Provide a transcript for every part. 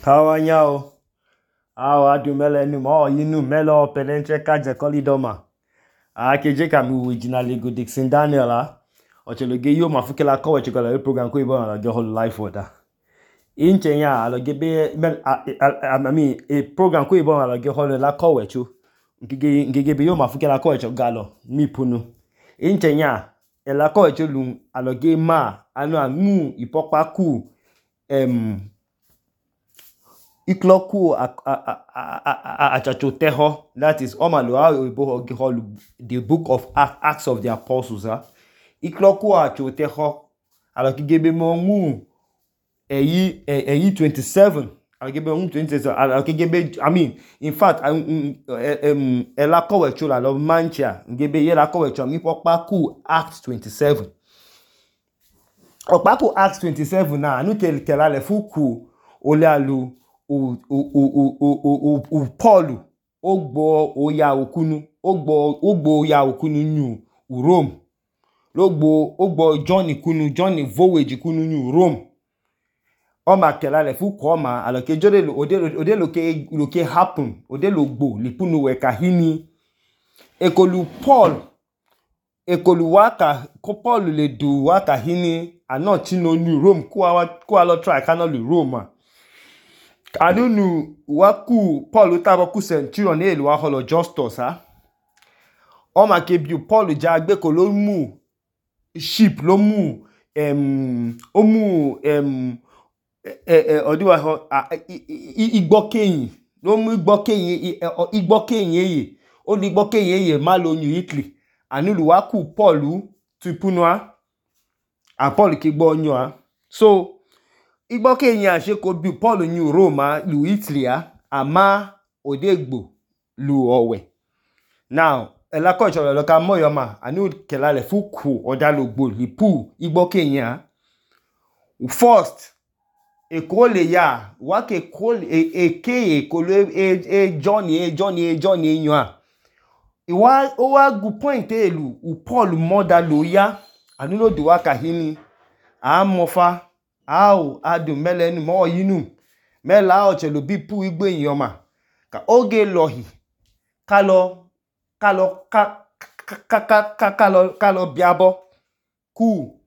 Kawanyao, adu mele numo yinu melo pedentre kaje kolidoma. Keje kami originally go Dixon Daniel Ocheloge yo mafukela kowe chikola program ko ibo na go whole life order. Inche nya alogebe a program ko ibo na go whole la kowe chu. Ngigebe yo mafukela kowe chogalo mi punu. Inche nya ela kowe chu lu aloge ma anu amu ipokpa ku ikloku achachoteho, that is the book of Acts of the Apostles. Ikloku achachoteho alokigebe mongu eyi 27 alokigebe mongu 27 alokigebe in fact ela kowe chula lo mancha ngebe yela kowe chula mi pokpa ku Acts 27 okpaku Acts 27 na anu kelale fuku ole alu Paul ogbo oya okunu nyu Rome ogbo John voyage kunu nyu Rome oma kelale fuku oma aloke jode ode loke happen ode logbo lipunu weka hini ekolu waka ko Paul le du waka hini anochi no nyu Rome ku alo try kanolu Rome Anunu waku Paul utaboku centurion elu wa holo Justus o ma ke bi Paul ja gbe ko lo mu ship lo mu odiwa ho igbokeyin lo mu igbokeyin eye o ni igbokeyin eye ma lo nyu Italy anulu waku Paul tupunwa Paul ke gbo nyu so igbokeyin ase ko bi Paul nyu Rome lu Italy ama odegbo lu owe now ela ko cholo lo ka moyoma anu kelale fuku odalogbo lipu igbokeyin first ekole ya wake ekole ekolo Johnny nyu iwa o wa gu point elu Paul moda lo ya anu lo du waka hini amofa adu mele nu mo yinu mela ochelo bipu igbeyin oma ka oge lohi kalo biabo ku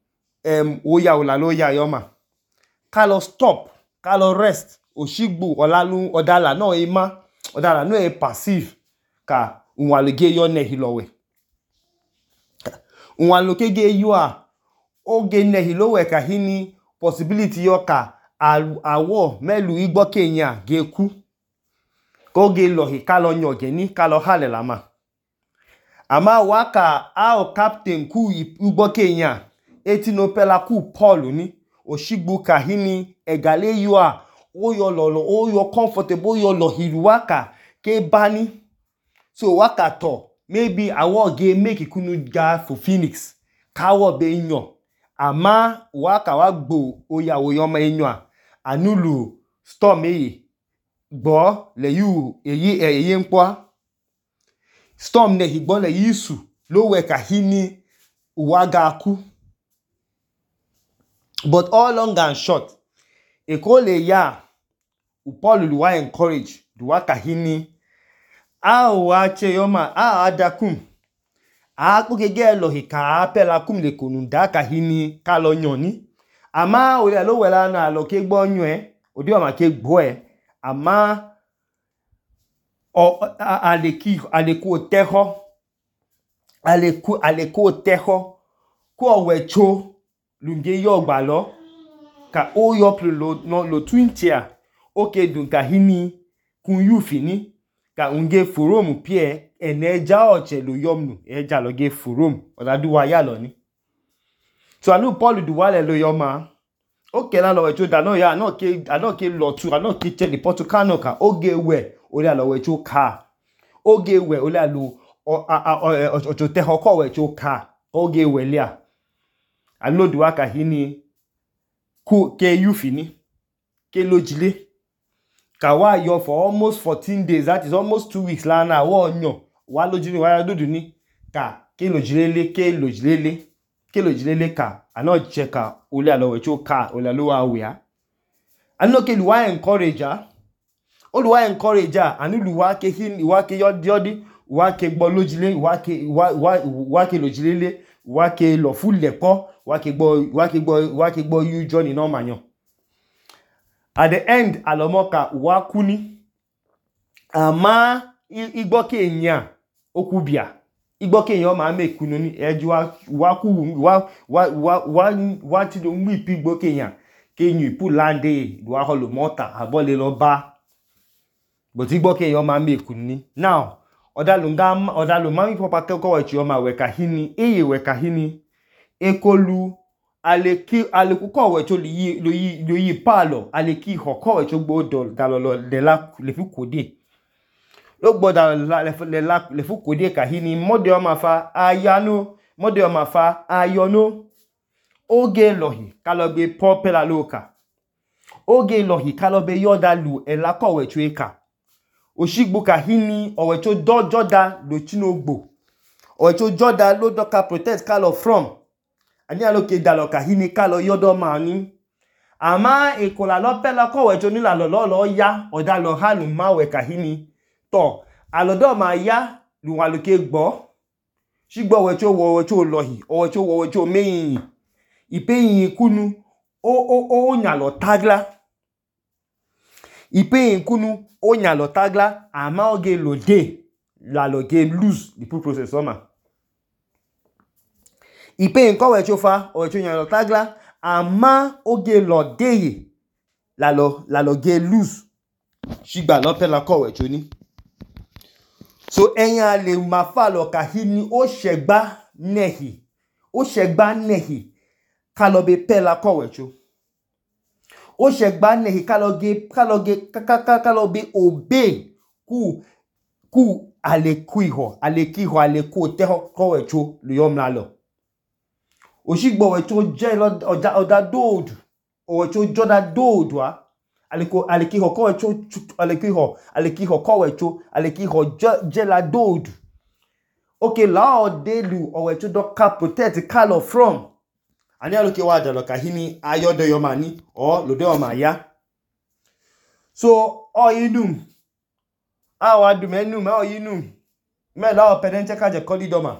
oya ola lo ya yoma kalo stop kalo rest oshigbu olalu odala no e passive ka unwaloge yo nehi lowe unwaloge ge yo oge nehi lowe ka hini possibility yo ka awo melu igbokeyin geku koge lohi kalo nyogeni kalo halelama ama waka captain ku igbokeyin etinopela ku Paul ni oshigbu ka hini egale yo oyo lolo oyo comfortable oyo lohiru waka ke bani so waka to maybe awo ge make kunu ga for Phoenix kawo be nyo ama waka wagbo oya oyoma enyo anulu storm gbo le yu eye npo storm ne higbo le yisu lo we ka hini uwaga ku but all long and short ekole ya Paul luwa encourage duwa ka hini wa che yoma adakum kugege lo hika apela kum le konu da ka hini ka lo nyoni ama ole lo wela na lo ke gbo nyu odi o ma ke gbo ama aleku teho ku owecho lunge yo gba lo ka o yo lo 20 oke dun ka hini kun yu fini ka unge forum pie eneja ochelu yomnu eja lo ge forum odaduwa ya lo ni so anu Paul duwale lo yoma oke la lo wecho da no ya no ke lo tu ano ke che report kano ka oge we ole alo wecho ka oge we ole alo ochote hoko wecho ka oge we lia anu duwa ka hini ku ke yu fini ke lojile ka wa yo for almost 14 days, that is almost 2 weeks la na wo nyo wa lojile wa dudu ni ka ke lojilele ka ano cheka ole alo wecho ka ole alo wa we Anu ke luwa encourage o luwa encourage anu luwa ke hin luwa ke yodi wa ke gbo lojile wa ke lojilele wa ke lo fulepo wa ke gbo you journey no manyo. At the end alomoka wa kuni ama igbo ke nya okubia igbo ke yan ma make kunu ni eju wa ku wa ti do mu ipi igbo ke yan ke yin ipu lande wa holo mota abole lo ba but igbo ke yan ma make kunu ni. Now odalu mami papa ko wechi o ma we ka hini eye we ka hini ekolu aleku ko wecho lo yi palo aleki ho ko wecho gbodo dalolo de la le fu kode lo gboda le fu kode ka hini mode o ma fa ayano mode o ma fa ayono oge lohi kalobe popela loka oge lohi kalobe yodalu ela ko wecho eka oshigbu ka hini owecho joda lo chinogbo owecho joda lo doka protect kalo from ani aloke dalo ka hini kalo yodo mani ama ekola lo pela ko wecho ni la lo ya odalo halu ma we ka hini to alodo ma ya lu aloke gbo shigbo wecho lohi owecho meyin ipeyin kunu o nya lo tagla ipeyin kunu o nya lo tagla ama oge lo de la lo ge lose the process oma ipeyin ko wecho fa owecho nya lo tagla ama oge lo de la lo ge lose shigba lo pela ko wecho ni. So eyan le ma fa lo ka hini o shegba nehi kalobe pela ko wecho o shegba nehi kalobe obey ku aleku te ko wecho lu yomla lo oshigbo wecho je oda dodu owecho joda dodu aleki ho ko wecho aleki ho ko wecho aleki ho je la dodu okay la odelu owecho doka protect kalo from ani aloke wa dalo ka hini ayodo yomani or lode o ma ya so oyinum awa du menum oyinum me la o penenche ka je kolidoma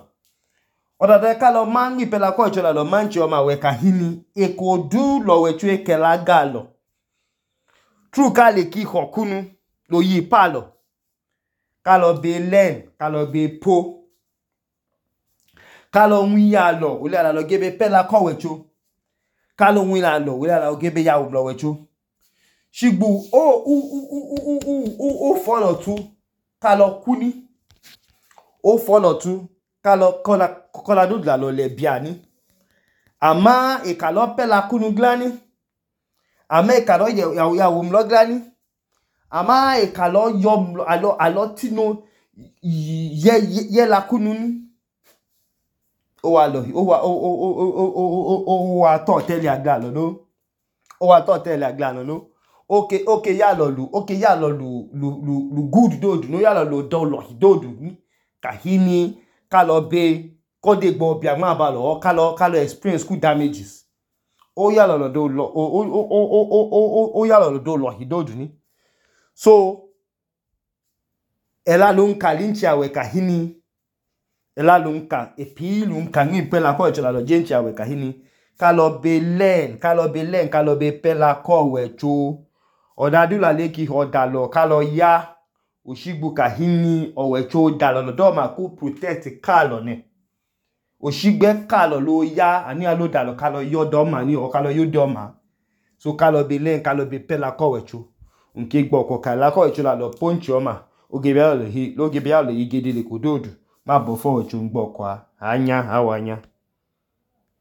odade kalo mangi pela ko chola lo manchi o ma we ka hini ekodu lo wecho ekela galo true ka le ki hokunu lo yi palo kalo be len kalo be po kalo wiya lo ole ala lo gebe pela ko wecho kalo wiya lo ole ala lo gebe ya lo wecho shigbu o follow tu kalo kuni o follow tu kalo kola do la lo le biani ama e kalo pela kunu glani ama e kalo ya wo mlo glani ama e kalo yo alo tino ye la kunu ni o wa lo o wa to tele agla lo no o wa to tele agla lo no okay ya lo lu good dodu no ya lo do lo dodu ni ka hini kalo be kode gbo bia ma ba lo kalo experience school damages o ya lo do lo o ya lo do lo dodu ni so ela lo nka linchi awe ka hini ela lo nka epi lo nka ni pela ko chola lo jenchi awe ka hini kalo be pela ko wecho odadu la leki odalo kalo ya oshigbu ka hini owecho dalo do ma ku protect kalo ne oshigbe kalo lo ya ani alo dalo kalo yodo ma ni o kalo yodo ma so kalo be pela ko wecho nke gbo ko kala ko wecho la lo punch o ma oge bia lo yi gede le kododu ma bo fo wecho ngbo kwa anya awanya